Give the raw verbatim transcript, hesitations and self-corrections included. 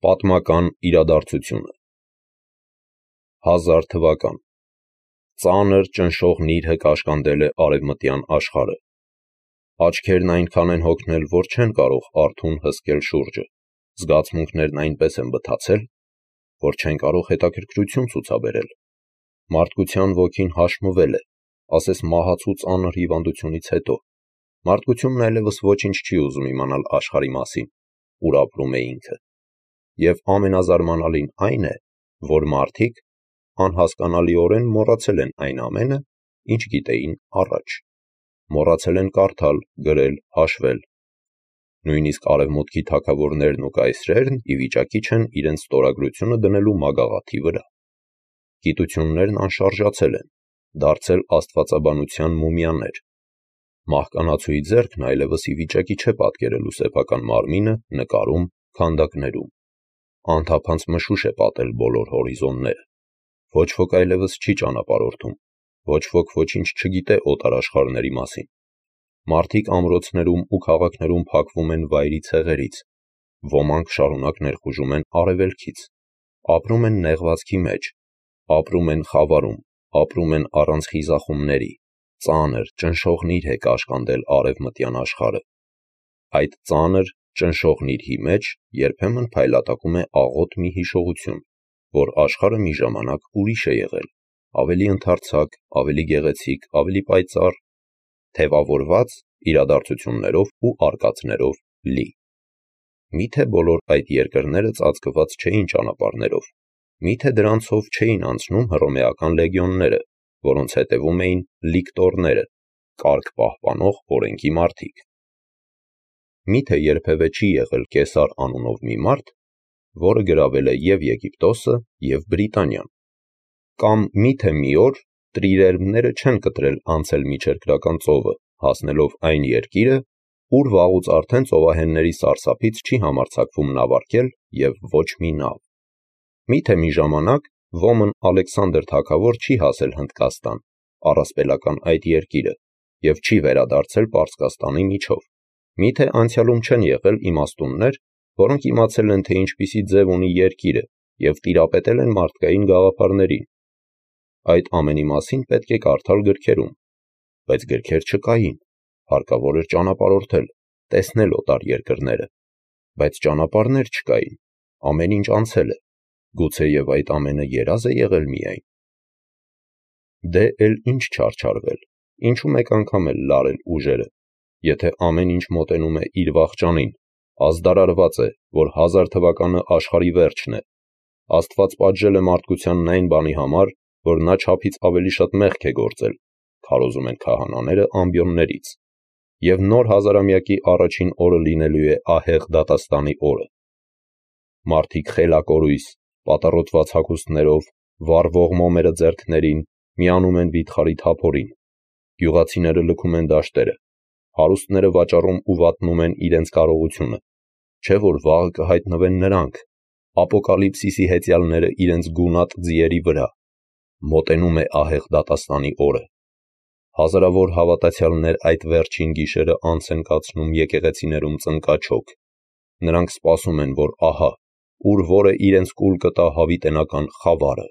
Պատմական իրադարձությունը հազար թվական ծանր ճնշող նիրհը կաշկանդել է արևմտյան աշխարհը։ Աչքերն այնքան են հոգնել, որ չեն կարող արթուն հսկել շուրջը, զգացմունքներն այնպես են բթացել, որ չեն կարող հետաքրքրություն ցուցաբերել։ Մարդկության ոգին հաշմվել է, ասես մահացու ծանր հիվանդությունից հետո։ Մարդկությունն այլևս ոչինչ չի ուզում իմանալ աշխարհի մասին, ուր ապրում է ինքը։ Եվ ամենազարմանալին այն է, որ մարդիկ անհասկանալիորեն մոռացել են այն ամենը, ինչ գիտեին առաջ, մոռացել են կարդալ, գրել, հաշվել։ Նույնիսկ արևմուտքի թագավորներն ու կայսրերն ի վիճակի չեն իրենց ստորագրությունը դնելու մագաղաթի վրա։ Գիտություններն անշարժացել են, դարձել աստվածաբանության մումիաներ։ Մահկանացուի ձեռքն այլևս ի վիճակի չէ պատկերելու սեփական մարմինը նկարում, քանդակներում։ Անթափանց մշուշ է պատել բոլոր հորիզոնները։ Ոչ ոք այլևս չի ճանապարհորդում, ոչ ոք ոչինչ չգիտե օտար աշխարհների մասին։ Մարդիկ ամրոցներում ու քաղաքներում փակվում են վայրի ցեղերից, ոմանք շարունակ ներխուժում են արևելքից, ապրում են նեղվածքի մեջ, ապրում են խավարում, ապրում են առանց խիզախումների, ծանր, ճնշող նիրհ է կաշկանդել արևմտյան աշխարհը։ Այդ ծանր, ճնշող նիրհի մեջ երբեմն փայլատակում է աղոտ մի հիշողություն, որ աշխարհը մի ժամանակ ուրիշ է եղել, ավելի ընդարձակ, ավելի գեղեցիկ, ավելի պայծառ, թևավորված իրադարձություններով ու արկածներով լի։ Միթե բոլոր այդ երկրները ծածկված չէին ճանապարհներով, միթե դրանցով չէին անցնում հռոմեական լեգիոնները, որոնց հետևում էին լիկտորները, կարգ պահպանող օրենքի մարդիկ։ Միթե երբևէ չի եղել Կեսար անունով մի մարդ, որը գրավել է և Եգիպտոսը, և Բրիտանիան։ Կամ միթե մի օր տրիրերմները չեն կտրել անցել միջերկրական ծովը, հասնելով այն երկիրը, ուր վաղուց արդեն ծովահենների սարսափից չի համարձակվում նավարկել և ոչ մի նավ։ Միթե մի ժամանակ ոմն Ալեքսանդր թագավոր չի հասել Հնդկաստան, առասպելական այդ երկիրը, և չի վերադարձել Պարսկաստանի միջով։ Միթե անցյալում չեն եղել իմաստուններ, որոնք իմացել են, թե ինչպիսի ձև ունի երկիրը և տիրապետել են մարդկային գաղափարներին։ Այդ ամենի մասին պետք է կարդալ գրքերում, բայց գրքեր չկային, հարկավոր էր ճանապարհորդել, տեսնել օտար երկրները, բայց ճանապարհներ չկային, ամեն ինչ անցել է, գուցեև այդ ամենը երազ է եղել միայն։ Դե էլ ինչ չարչարվել, ինչու մեկ անգամ էլ լարել ուժերը, եթե ամեն ինչ մոտենում է իր վախճանին, ազդարարված է, որ հազար թվականը աշխարհի վերջն է։ Աստված պատժել է մարդկությանն այն բանի համար, որ նա չափից ավելի շատ մեղք է գործել, քարոզում են քահանաները ամբիոններից, և նոր հազարամյակի առաջին օրը լինելու է ահեղ դատաստանի օրը։ Մարդիկ խելակորույս, պատառոտված հագուստներով, վառվող մոմերը ձեռքներին, միանում են վիթխարի թափորին։ Գյուղացիները լքում են դաշտերը, հարուստները վաճառում ու վատնում են իրենց կարողությունը, չէ՞ որ վաղը կհայտնվեն նրանք, ապոկալիպսիսի հեծյալները իրենց գունատ ձիերի վրա։ Մոտենում է ահեղ դատաստանի օրը։ Հազարավոր հավատացյալներ այդ վերջին գիշերը անց են կացնում եկեղեցիներում ծնկաչոք։ Նրանք սպասում են, որ ահա, ուր որը իրենց կուլ կտա հավիտենական խավարը։